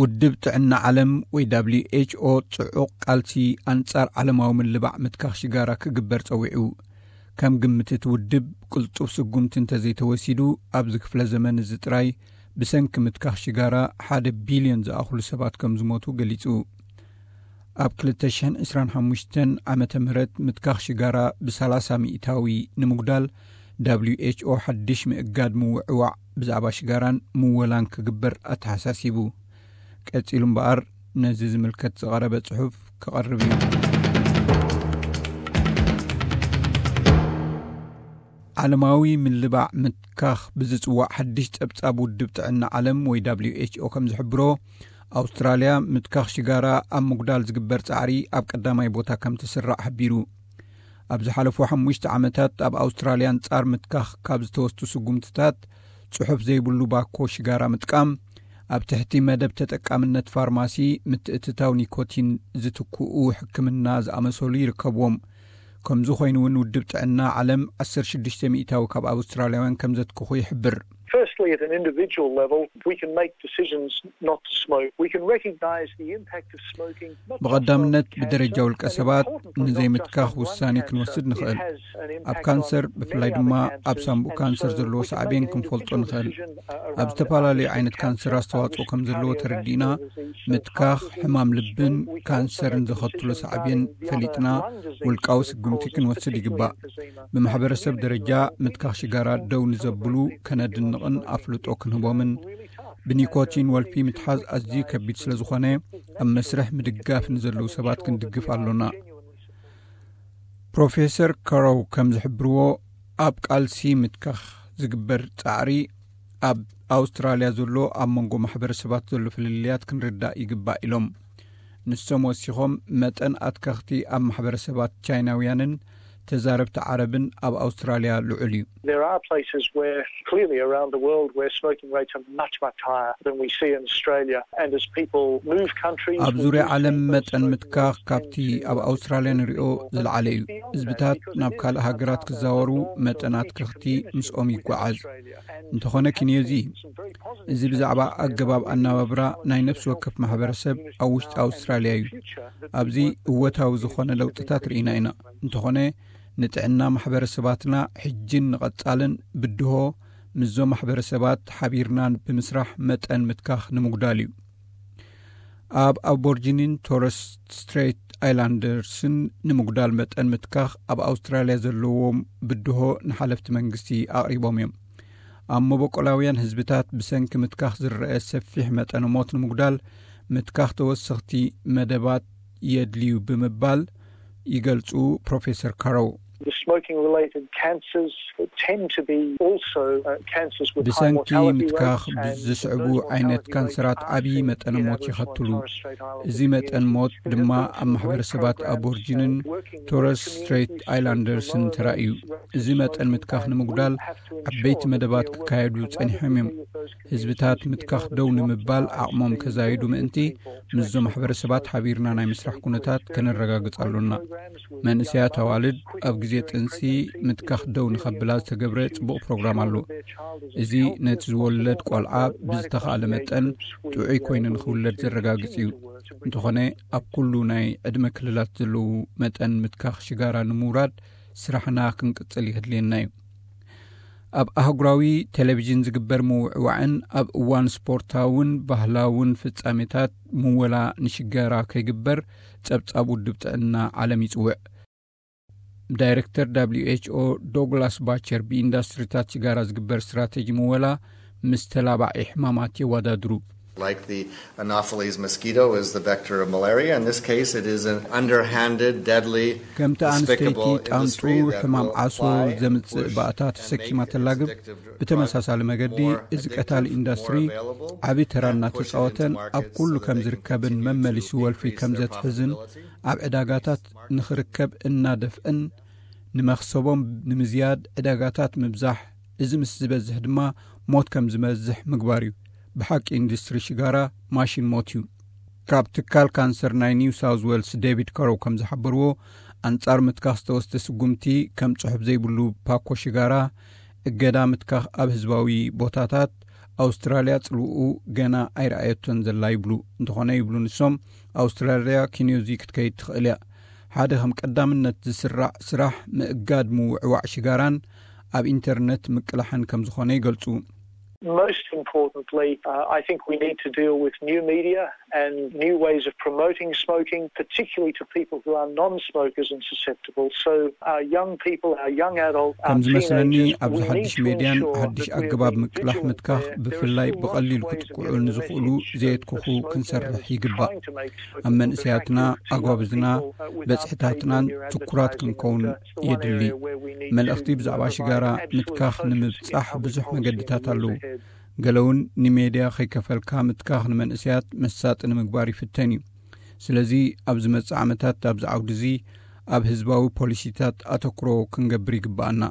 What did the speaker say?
ውድብ ጥዕና ዓለም ወይ W H O ጽዑቕ ቃልሲ ኣንጻር ዓለማዊ ምልባዕ ምትካኽ ሽጋራ ክግበር ጸዊዑ። ከም ግምት እቲ ውድብ፣ ቅልጡፍ ስጉምቲ እንተዘይተወሲዱ፣ ኣብዚ ክፍለ ዘመን እዚ ጥራይ ብሰንኪ ምትካኽ ሽጋራ ሓደ ቢልዮን ዝኣኽሉ ሰባት ከም ዝሞቱ ገሊጹ። ኣብ ክልተ ሽሕን ዕስራን ሓሙሽተን ዓመተ ምህረት ምትካኽ ሽጋራ ብሰላሳ ሚእታዊ ንምጉዳል፣ W H O ሓድሽ ምእጋድ ምውዕዋዕ ብዛዕባ ሽጋራን ምወላን ክግበር ኣተሓሳሲቡ። ቀጺሉ እምበኣር፣ ነዚ ዝምልከት ዝቐረበ ጽሑፍ ክቐርብ እዩ። ዓለማዊ ምልባዕ ምትካኽ ብዝጽዋዕ ሓድሽ ጸብጻብ ውድብ ጥዕና ዓለም ወይ W H O ከም ዝሕብሮ፣ ኣውስትራልያ ምትካኽ ሽጋራ ኣብ ምጉዳል ዝግበር ጻዕሪ ኣብ ቀዳማይ ቦታ ከም ትስራዕ ሓቢሩ። ኣብ ዝሓለፉ ሓሙሽተ ዓመታት ኣብ ኣውስትራልያ ኣንጻር ምትካኽ ካብ ዝተወስዱ ስጉምትታት፣ ጽሑፍ ዘይብሉ ባኮ ሽጋራ ምጥቃም፣ ኣብ ትሕቲ መደብ ተጠቃምነት ፋርማሲ ምትእትታው ኒኮቲን ዝትክኡ ሕክምና ዝኣመሰሉ ይርከብዎም። ከምዚ ኮይኑ እውን ውድብ ጥዕና ዓለም ዓሰርተ ሽዱሽተ ሚእታዊ ካብ ኣውስትራልያውያን ከም ዘትክኹ ይሕብር። Firstly, at an individual level, we can make decisions not to smoke. We can recognise the impact of smoking. Not just ብቐዳምነት on ብደረጃ cancer, ውልቀ but ሰባት importantly, not just ንዘይምትካኽ on lung ውሳኔ cancer. ክንወስድ It ንኽእል። Has an ኣብ impact ካንሰር፣ on ብፍላይ many ድማ other ኣብ cancers. ሳንቡእ And ካንሰር so ዘለዎ we can ሳዕቤን make an ክንፈልጦ intentional ንኽእል። Decision, uh, ኣብ ዝተፈላለዩ ዓይነት ካንሰር ኣስተዋጽኦ ከም ዘለዎ ተረዲእና፣ ምትካኽ ሕማም ልብን ካንሰርን ዘኸትሎ ሳዕቤን ፈሊጥና፣ ውልቃዊ ስጉምቲ ክንወስድ ይግባእ። ብማሕበረሰብ ደረጃ ምትካኽ ሽጋራ ደው ንዘብሉ ከነድንቕን ኣፍልጦ ክንህቦምን፣ ብኒኮቲን ወልፊ ምትሓዝ ኣዝዩ ከቢድ ስለ ዝኾነ፣ ኣብ መስርሕ ምድጋፍ ንዘለዉ ሰባት ክንድግፍ ኣሎና። ፕሮፌሰር ካሮው ከም ዝሕብርዎ፣ ኣብ ቃልሲ ምትካኽ ዝግበር ጻዕሪ፣ ኣብ ኣውስትራልያ ዘሎ ኣብ መንጎ ማሕበረሰባት ዘሎ ፍልልያት ክንርዳእ ይግባእ ኢሎም። ንሶም ወሲኾም፣ መጠን ኣትከኽቲ ኣብ ማሕበረሰባት ቻይናውያንን ተዛረብቲ ዓረብን ኣብ ኣውስትራልያ ልዑል እዩ። There are places where clearly around the world where smoking rates are much, much higher than we see in Australia. And as people move countries, ኣብ we ዙርያ do ዓለም see those መጠን smoking ምትካኽ rates ካብቲ tend to ኣብ ኣውስትራልያ ንሪኦ ዝለዓለ እዩ። ህዝብታት ናብ ካልእ ሃገራት ክዛወሩ መጠን ኣትከኽቲ ምስኦም ይጓዓዝ። እንተኾነ ኪንዮዚ፣ እዚ ብዛዕባ ኣገባብ ኣነባብራ ናይ ነፍሲ ወከፍ ማሕበረሰብ ኣብ ውሽጢ ኣውስትራልያ እዩ። ኣብዚ እወታዊ ዝኾነ ለውጥታት ርኢና ኢና። እንተኾነ፣ ንጥዕና ማሕበረሰባትና ሕጅን ንቐጻልን ብድሆ ምስዞም ማሕበረሰባት ሓቢርና ብምስራሕ መጠን ምትካኽ ንምጉዳል እዩ። ኣብ ኣቦርጂኒን ቶረስ ስትሬት ኣይላንደርስን ንምጉዳል መጠን ምትካኽ ኣብ ኣውስትራልያ ዘለዎም ብድሆ ንሓለፍቲ መንግስቲ ኣቕሪቦም እዮም። ኣብ መበቆላውያን ህዝብታት ብሰንኪ ምትካኽ ዝረአ ሰፊሕ መጠን ሞት ንምጉዳል፣ ምትካኽ ተወሰኽቲ መደባት የድልዩ ብምባል ይገልጹ ፕሮፌሰር ካሮው። The smoking related cancers tend to be also, uh, cancers with high ብሰንኪ mortality ምትካኽ rates and ብዝስዕቡ those ዓይነት mortality ካንሰራት rates are ዓብዪ fairly መጠን ሞት ይኸትሉ። As we know, እዚ መጠን ሞት ድማ ኣብ ማሕበረሰባት ኣቦርጂንን ቶረስ ስትሬት ኣይላንደርስን ተራእዩ። እዚ መጠን ምትካኽ ንምጉዳል ዓበይቲ መደባት ክካየዱ ጸኒሖም እዮም። ህዝብታት ምትካኽ ደው ንምባል ዓቕሞም ከዛይዱ ምእንቲ፣ ምስዞም ማሕበረሰባት ሓቢርና ናይ ምስራሕ ኩነታት ከነረጋግጽ ኣሎና። መንእሰያት ኣዋልድ ኣብ ግዜ ጥንሲ ምትካኽ ደው ንኸብላ ዝተገብረ ጽቡቕ ፕሮግራም ኣሎ። እዚ ነቲ ዝወለድ ቆልዓ ብዝተኻእለ መጠን ጥዑይ ኮይኑ ንኽውለድ ዘረጋግጽ እዩ። እንተኾነ፣ ኣብ ኩሉ ናይ ዕድመ ክልላት ዘለዉ መጠን ምትካኽ ሽጋራ ንምውራድ ስራሕና ክንቅጽል የድልየና እዩ። ኣብ ኣህጉራዊ ቴሌቪዥን ዝግበር ምውዕዋዕን ኣብ እዋን ስፖርታውን ባህላውን ፍጻሜታት ምወላ ንሽጋራ ከይግበር ጸብጻብ ውድብ ጥዕና ዓለም ይጽውዕ። ዳይሬክተር W H O ዶግላስ ባቸር ብኢንዳስትሪታት ሽጋራ ዝግበር ስትራቴጂ ምወላ ምስ ተላባዒ ሕማማት የወዳድሩ። Like the Anopheles mosquito is the vector of malaria. In this case, it is an underhanded, deadly ከምቲ ኣንስተይቲ ጣንጡ ሕማም ዓሶ ዘምጽእ ባእታ ተሰኪማ ተላግብ፣ ብተመሳሳሊ መገዲ እዚ ቀታሊ ኢንዳስትሪ ዓቢ ተራ እናተጻወተን ኣብ ኩሉ ከም ዝርከብን መመሊሱ ወልፊ ከም ዘትሕዝን ኣብ ዕዳጋታት ንኽርከብ እናደፍእን ንመኽሰቦም ንምዝያድ ዕዳጋታት ምብዛሕ፣ እዚ ምስ ዝበዝሕ ድማ ሞት ከም ዝበዝሕ ምግባር እዩ። ብሓቂ ኢንዱስትሪ ሽጋራ ማሽን ሞት እዩ። ካብ ትካል ካንሰር ናይ ኒው ሳውዝ ዌልስ ዴቪድ ከሮው ከም ዝሓበርዎ፣ ኣንጻር ምትካኽ ዝተወስደ ስጉምቲ ከም ጽሑፍ ዘይብሉ ፓኮ ሽጋራ፣ እገዳ ምትካኽ ኣብ ህዝባዊ ቦታታት፣ ኣውስትራልያ ጽልውኡ ገና ኣይረኣየቶን ዘላ ይብሉ። እንተኾነ ይብሉ ንሶም፣ ኣውስትራልያ ኪንዮዚ ክትከይድ ትኽእል እያ። ሓደ ከም ቀዳምነት ዝስራዕ ስራሕ ምእጋድ ምውዕዋዕ ሽጋራን ኣብ ኢንተርነት ምቅላሕን ከም ዝኾነ ይገልጹ። Most importantly, uh, I think we need to deal with new media and new ways of promoting smoking, particularly to people who are non-smokers and susceptible. So our young people, our young adults, our ከም ዝመስለኒ teenagers, ኣብዚ we need ሓድሽ to ሜድያን ensure ሓድሽ that we're ኣገባብ being ምቅላሕ vigilant ምትካኽ there. There are ብፍላይ still ብቐሊሉ lots of ways of ክጥቅዑ getting the ንዝኽእሉ message of, ዘየትኩኹ of smoking ክንሰርሕ and ይግባእ። trying to make smoking ኣብ መንእሰያትና፣ practice, you know, ኣጓብዝና፣ people, uh, without በጽሕታትናን behaviour ትኩራት advertising ክንከውን and, uh, it's the one የድሊ። area where we need መልእኽቲ to, uh, ብዛዕባ provide ሽጋራ absolute ምትካኽ cogent ንምብጻሕ public ብዙሕ policy መገድታት in the ኣለዉ። years ahead. ገለ እውን ንሜድያ ከይከፈልካ ምትካኽ ንመንእሰያት መሳጢ ንምግባር ይፍተን እዩ። ስለዚ ኣብ ዝመጽእ ዓመታት ኣብዚ ዓውዲ እዚ ኣብ ህዝባዊ ፖሊሲታት ኣተኩሮ ክንገብር ይግባኣና።